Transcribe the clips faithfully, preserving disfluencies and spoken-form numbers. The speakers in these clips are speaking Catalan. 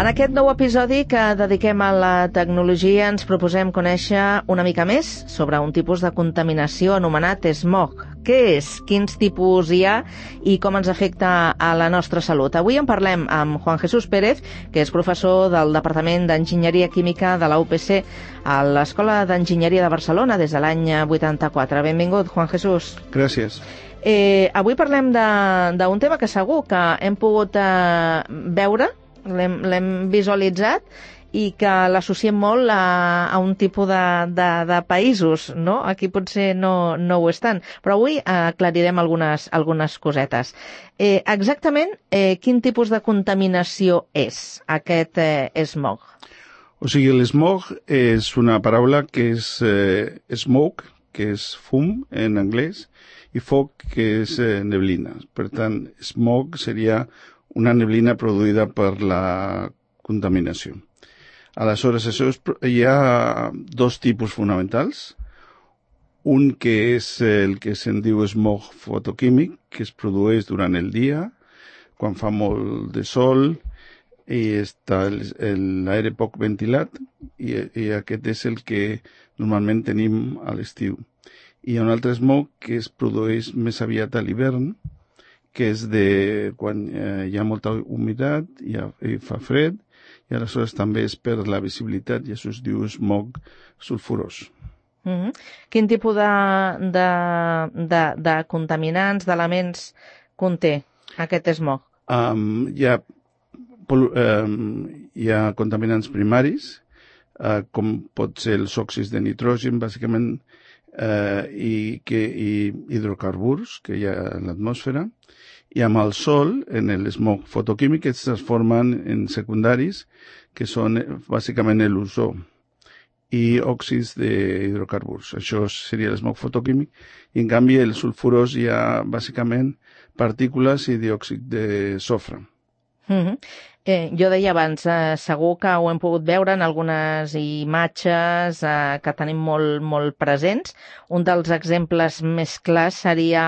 En aquest nou episodi que dediquem a la tecnologia ens proposem conèixer una mica més sobre un tipus de contaminació anomenat smog. Què és? Quins tipus hi ha i com ens afecta a la nostra salut? Avui en parlem amb Juan Jesús Pérez, que és professor del Departament d'Enginyeria Química de la U P C a l'Escola d'Enginyeria de Barcelona des de l'any vuitanta-quatre. Benvingut, Juan Jesús. Gràcies. Eh, avui parlem d'un tema que segur que hem pogut eh, veure, l'hem visualitzat i que l'associem molt a, a un tipus de, de, de països, no? Aquí potser no, no ho és tant, però avui aclarirem algunes, algunes cosetes. Eh, exactament, eh, quin tipus de contaminació és aquest eh, smog? O sigui, l'smog és una paraula que és eh, smoke, que és fum en anglès, i foc, que és eh, neblina. Per tant, smog seria una neblina produïda per la contaminació. Aleshores, això és, hi ha dos tipus fonamentals. Un que és el que se'n diu smog fotoquímic, que es produeix durant el dia, quan fa molt de sol i està l'aire poc ventilat, i, i aquest és el que normalment tenim a l'estiu. Hi ha un altre smog que es produeix més aviat a l'hivern, que és de quan eh, hi ha molta humitat i, i fa fred, i aleshores també és per la visibilitat, i això es diu smog sulfurós. Mm-hmm. Quin tipus de, de, de, de contaminants, d'elements conté aquest smog? Um, hi, ha, um, hi ha contaminants primaris, uh, com pot ser els òxids de nitrogen, bàsicament, uh, i, que, i hidrocarburs que hi ha a l'atmosfera. I amb el sol, en el smog fotoquímic, es transformen en secundaris, que són bàsicament l'ozó i òxids d'hidrocarburs. Això seria l'smog fotoquímic. I, en canvi, el sulfurós hi ha bàsicament partícules i diòxid de sofre. Mm-hmm. eh, jo deia abans, eh, segur que ho hem pogut veure en algunes imatges eh, que tenim molt, molt presents. Un dels exemples més clars seria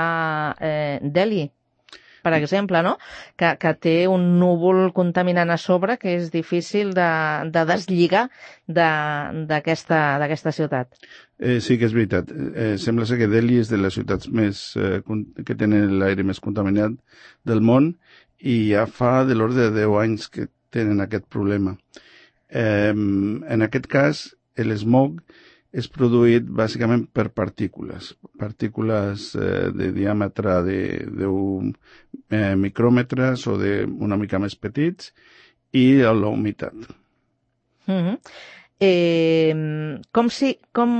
eh, Delhi, per exemple, no? Que, que té un núvol contaminant a sobre que és difícil de, de deslligar d'aquesta ciutat. Eh, sí que és veritat. Eh, sembla ser que Delhi és de les ciutats més, eh, que tenen l'aire més contaminat del món i ja fa de l'ordre de deu anys que tenen aquest problema. Eh, en aquest cas, l'smog és produït bàsicament per partícules, partícules eh, de diàmetre de deu eh, micròmetres o de una mica més petits i la humitat. Mm-hmm. eh, com, si, com,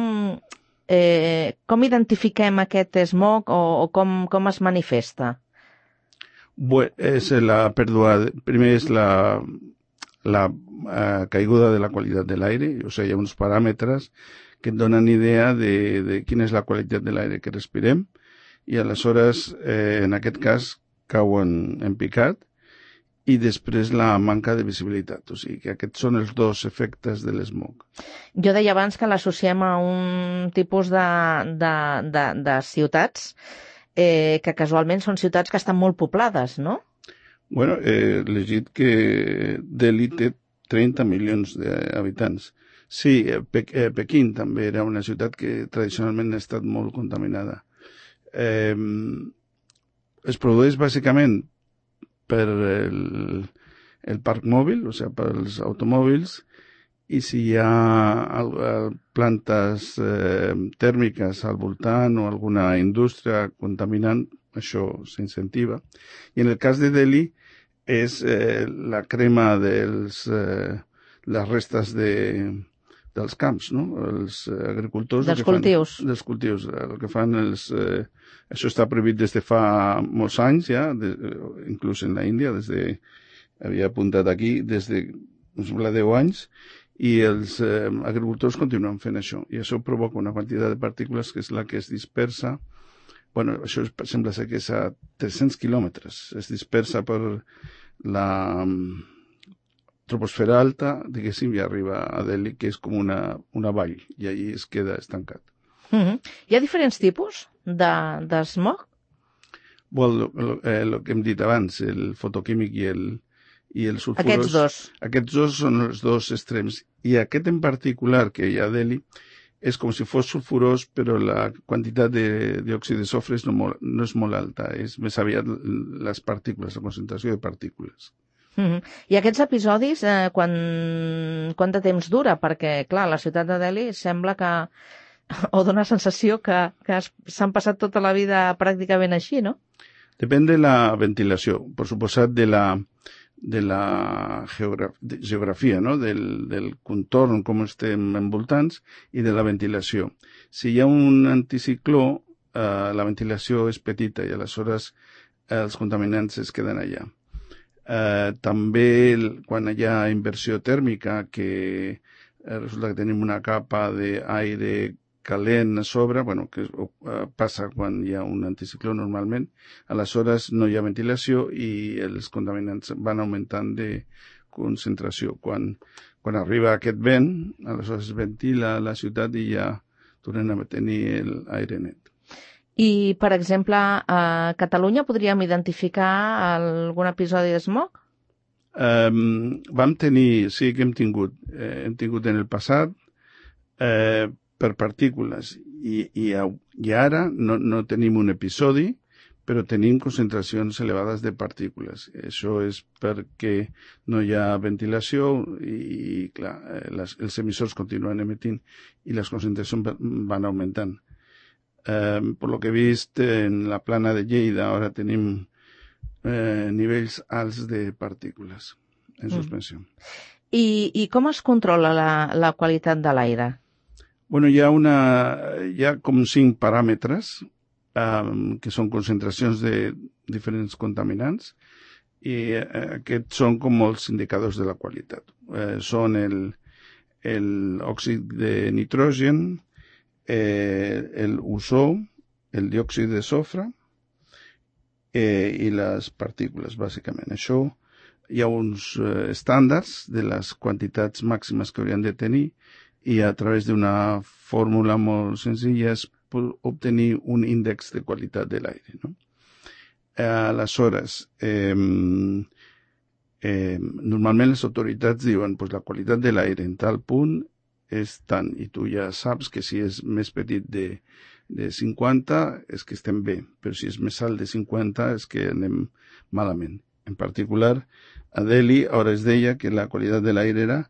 eh, com identifiquem aquest smog o, o com, com es manifesta? Bé, és la pèrdua, primer és la, la eh, caiguda de la qualitat de l'aire, o sigui, hi ha uns paràmetres que et donen idea de, de quina és la qualitat de l'aire que respirem, i aleshores, eh, en aquest cas, cauen en picat, i després la manca de visibilitat. O sigui que aquests són els dos efectes de l'smog. Jo deia abans que l'associem a un tipus de, de, de, de ciutats eh, que casualment són ciutats que estan molt poblades, no? Bueno, he llegit que Delhi té trenta milions d'habitants. Sí, Pe eh, Pequín també era una ciutat que tradicionalment ha estat molt contaminada. Eh, es produeix bàsicament per el, el parc mòbil, o sigui, pels automòbils, i si hi ha plantes eh, tèrmiques al voltant o alguna indústria contaminant, això s'incentiva. I en el cas de Delhi és eh, la crema dels, eh, les restes de, dels camps, no? Els agricultors... Dels cultius. Fan, dels cultius. El que fan els... Eh, això està prohibit des de fa molts anys ja, de, inclús en la Índia, des de... Havia apuntat aquí des de deu anys, i els eh, agricultors continuen fent això. I això provoca una quantitat de partícules que és la que es dispersa. Bueno, això és, sembla ser que és a tres-cents quilòmetres. Es dispersa per la troposfera alta, diguéssim, i arriba a Delhi, que és com una, una vall, i allí es queda estancat. Mm-hmm. Hi ha diferents tipus de, de smog? Bueno, el, el, el que hem dit abans, el fotoquímic i el, i els sulfurós... Aquests dos. Aquests dos són els dos extrems. I aquest en particular, que hi ha a Delhi, és com si fos sulfurós, però la quantitat de diòxid de sofre no, molt, no és molt alta, és més aviat les partícules, la concentració de partícules. Mm-hmm. I aquests episodis, eh, quan, quant de temps dura? Perquè, clar, la ciutat de Delhi sembla que, o dona sensació que, que s'han passat tota la vida pràcticament així, no? Depèn de la ventilació, per suposat de la, de la geogra de geografia, no? del, del contorn, com estem envoltants, i de la ventilació. Si hi ha un anticicló, eh, la ventilació és petita i aleshores eh, els contaminants es queden allà. Eh, també quan hi ha inversió tèrmica, que eh, resulta que tenim una capa d'aire calent a sobre, bueno, que uh, passa quan hi ha un anticicló normalment, aleshores no hi ha ventilació i els contaminants van augmentant de concentració. Quan, quan arriba aquest vent, aleshores es ventila la ciutat i ja tornem a tenir l'aire net. I, per exemple, a Catalunya podríem identificar algun episodi de smog? Um, vam tenir, sí que hem tingut, eh, hem tingut en el passat, eh, per partícules i, i, i ara no, no tenim un episodi, però tenim concentracions elevades de partícules. Això és perquè no hi ha ventilació i, i clar, les, els emissors continuen emitint i les concentracions van augmentant. Eh, per lo que he vist en la plana de Lleida, ara tenim eh, nivells alts de partícules en suspensió. Mm. I, I com es controla la, la qualitat de l'aire? Bueno, hi ha, una, hi ha com cinc paràmetres um, que són concentracions de diferents contaminants i eh, aquests són com els indicadors de la qualitat. Eh, són el, el òxid de nitrogen, eh, el ozó, el diòxid de sofre eh, i les partícules, bàsicament. Això hi ha uns eh, estàndards de les quantitats màximes que haurien de tenir i a través d'una fórmula molt senzilla es pot obtenir un índex de qualitat de l'aire, no? Eh, aleshores, eh, eh, normalment les autoritats diuen pues, la qualitat de l'aire en tal punt és tant, i tu ja saps que si és més petit de, de cinquanta és que estem bé, però si és més alt de cinquanta és que anem malament. En particular, a Delhi ara es deia que la qualitat de l'aire era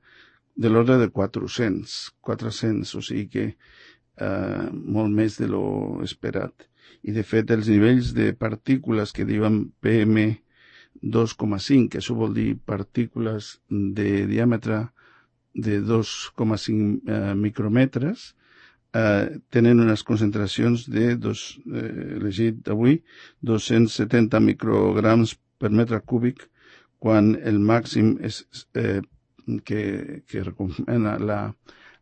de l'ordre de quatre-cents, quatre-cents, o sigui que eh, molt més de lo esperat. I de fet els nivells de partícules que diuen P M dos coma cinc, que això vol dir partícules de diàmetre de dos coma cinc eh, micròmetres, eh, tenen unes concentracions de, dos, eh, elegit avui, dos-cents setanta micrograms per metre cúbic, quan el màxim és eh, que, que recomana la,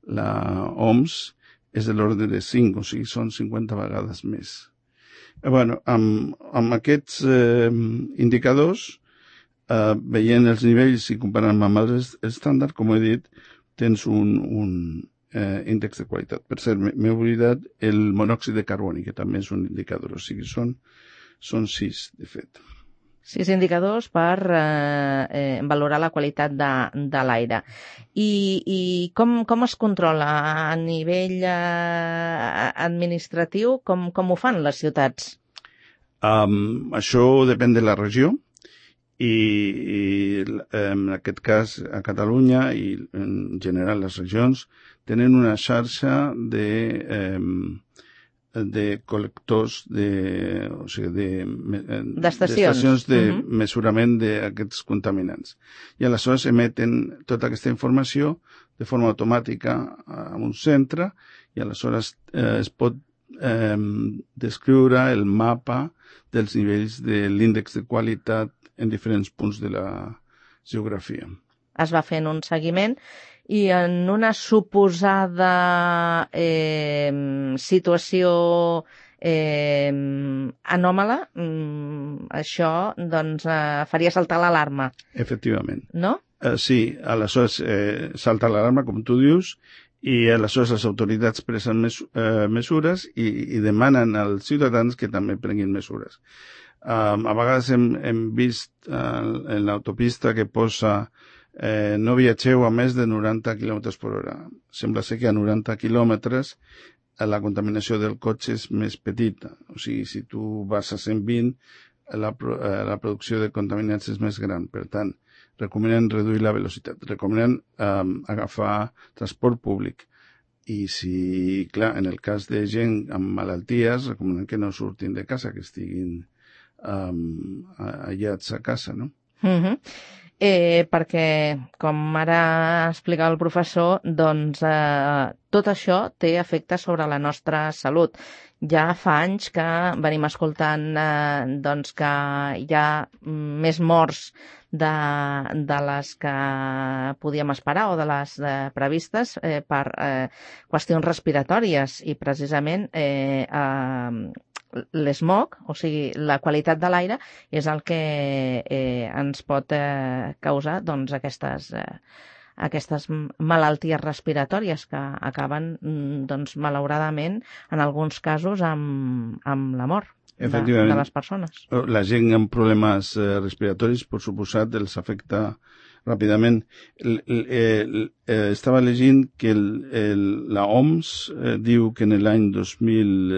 la O M S és de l'ordre de cinc, o sigui, són cinquanta vegades més. Eh, bueno, amb, amb aquests eh, indicadors, eh, veient els nivells i comparant amb els estàndards, com he dit, tens un, un eh, índex de qualitat. Per cert, m'he oblidat el monòxid de carboni, que també és un indicador, o sigui, són, són sis, de fet. Sis indicadors per eh, eh, valorar la qualitat de, de l'aire. I, i com, com es controla a nivell eh, administratiu? Com, com ho fan les ciutats? Um, això depèn de la regió i, i en aquest cas a Catalunya i en general les regions tenen una xarxa de... Um, de col·lectors de, o sigui, d'estacions de, de, uh-huh. mesurament d'aquests contaminants. I aleshores emeten tota aquesta informació de forma automàtica a un centre i aleshores eh, es pot eh, descriure el mapa dels nivells de l'índex de qualitat en diferents punts de la geografia. Es va fent un seguiment i en una suposada eh, situació eh, anòmala, mm, això doncs, eh, faria saltar l'alarma. Efectivament. No? Eh, sí, aleshores eh, salta l'alarma, com tu dius, i aleshores les autoritats presen mes, eh, mesures i, i demanen als ciutadans que també prenguin mesures. Um, a vegades hem, hem vist uh, en l'autopista que posa eh, no viatgeu a més de noranta quilòmetres per hora. Sembla ser que a noranta quilòmetres la contaminació del cotxe és més petita. O sigui, si tu vas a cent vint, la, la producció de contaminants és més gran. Per tant, recomenen reduir la velocitat. Recomenen um, agafar transport públic. I si, clar, en el cas de gent amb malalties, recomenen que no surtin de casa, que estiguin um, aïllats a casa, no? Mm-hmm. Eh, perquè, com ara explicava el professor, doncs eh, tot això té efecte sobre la nostra salut. Ja fa anys que venim escoltant eh, doncs que hi ha més morts de, de les que podíem esperar o de les eh, previstes eh, per eh, qüestions respiratòries i precisament eh, eh, l'esmog, o sigui, la qualitat de l'aire és el que eh, ens pot eh, causar doncs, aquestes, eh, aquestes malalties respiratòries que acaben, doncs, malauradament, en alguns casos, amb, amb la mort de, de les persones. La gent amb problemes eh, respiratoris, per suposat, els afecta ràpidament. El, el, el, eh, estava llegint que el, el, la O M S eh, diu que en l'any dos mil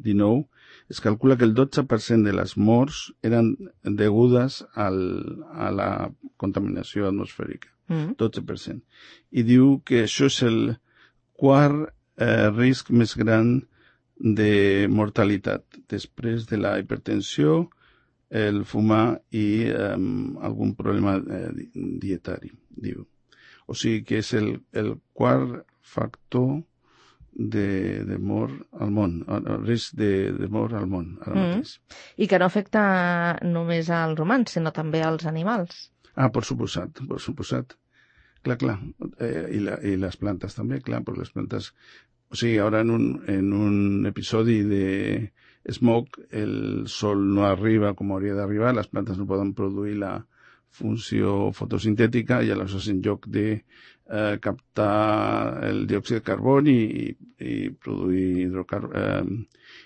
dinou es calcula que el dotze per cent de les morts eren degudes al, a la contaminació atmosfèrica. Mm. dotze per cent. I diu que això és el quart eh, risc més gran de mortalitat, després de la hipertensió, el fumar i eh, algun problema eh, dietari, diu. O sigui que és el, el quart factor de, de mort al món, el risc de, de mort al món, ara mateix. Mm. I que no afecta només als humans, sinó també als animals. Ah, per suposat, per suposat. Clar, clar. Eh, i, la, I les plantes també, clar, perquè les plantes... O sigui, ara en un, en un episodi de smog el sol no arriba com hauria d'arribar, les plantes no poden produir la funció fotosintètica i aleshores en lloc de eh, captar el diòxid de carboni i, i produir hidrocar eh,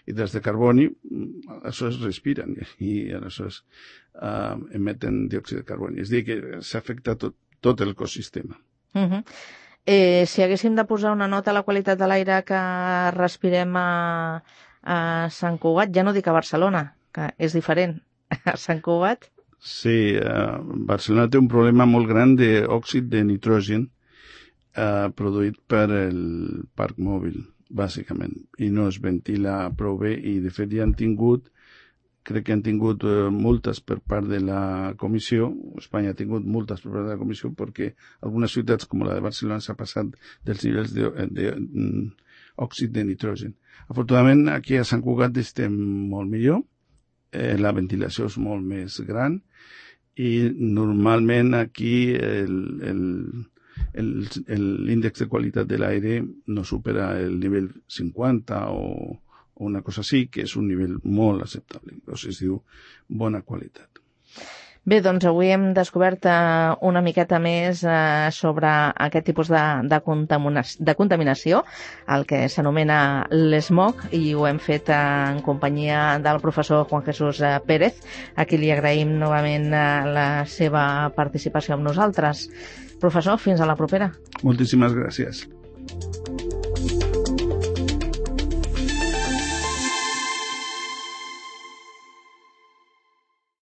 hidrats de carboni, aleshores respiren i aleshores eh, emeten diòxid de carboni. És a dir, que s'afecta tot, tot l'ecosistema. Uh-huh. Eh, si haguéssim de posar una nota a la qualitat de l'aire que respirem a, a Sant Cugat, ja no dic a Barcelona, que és diferent, a Sant Cugat... Sí, uh, Barcelona té un problema molt gran d'òxid de nitrogen uh, produït per el parc mòbil, bàsicament, i no es ventila prou bé i de fet ja han tingut, crec que han tingut uh, multes per part de la comissió, Espanya ha tingut multes per part de la comissió perquè algunes ciutats com la de Barcelona s'ha passat dels nivells d'òxid de, de, de nitrogen. Afortunadament aquí a Sant Cugat estem molt millor, Eh, la ventilació és molt més gran i normalment aquí l'índex de qualitat de l'aire no supera el nivell cinquanta o, o una cosa així, que és un nivell molt acceptable. Llavors es diu bona qualitat. Bé, doncs avui hem descobert eh, una miqueta més eh, sobre aquest tipus de, de, contaminació, de contaminació, el que s'anomena l'esmog, i ho hem fet eh, en companyia del professor Juan Jesús eh, Pérez, a qui li agraïm novament eh, la seva participació amb nosaltres. Professor, fins a la propera. Moltíssimes gràcies.